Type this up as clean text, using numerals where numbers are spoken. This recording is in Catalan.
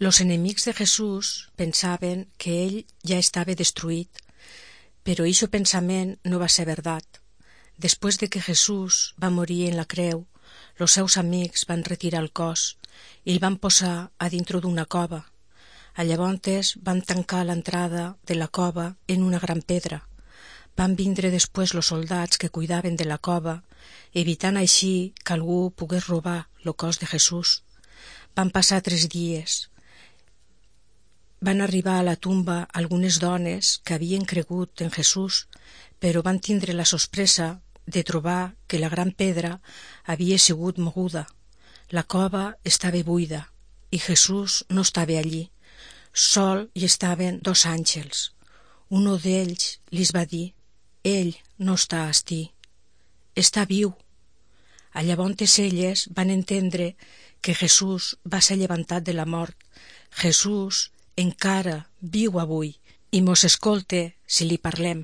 Los enemics de Jesús pensaven que ell ja estava destruït, però ixo pensament no va ser verdat. Després de que Jesús va morir en la creu, los seus amics van retirar el cos i el van posar a dintre d'una cova. Llavors van tancar l'entrada de la cova en una gran pedra. Van vindre després los soldats que cuidaven de la cova, evitant així que algú pogués robar el cos de Jesús. Van passar 3 dies. Van arribar a la tumba algunes dones que havien cregut en Jesús, però van tindre la sorpresa de trobar que la gran pedra havia sigut moguda. La cova estava buida i Jesús no estava allí. Sol hi estaven 2 àngels. Uno d'ells li va dir: «Ell no està ací, està viu». Llavors elles van entendre que Jesús va ser llevantat de la mort. Jesús encara viu avui i mos escolta si li parlem.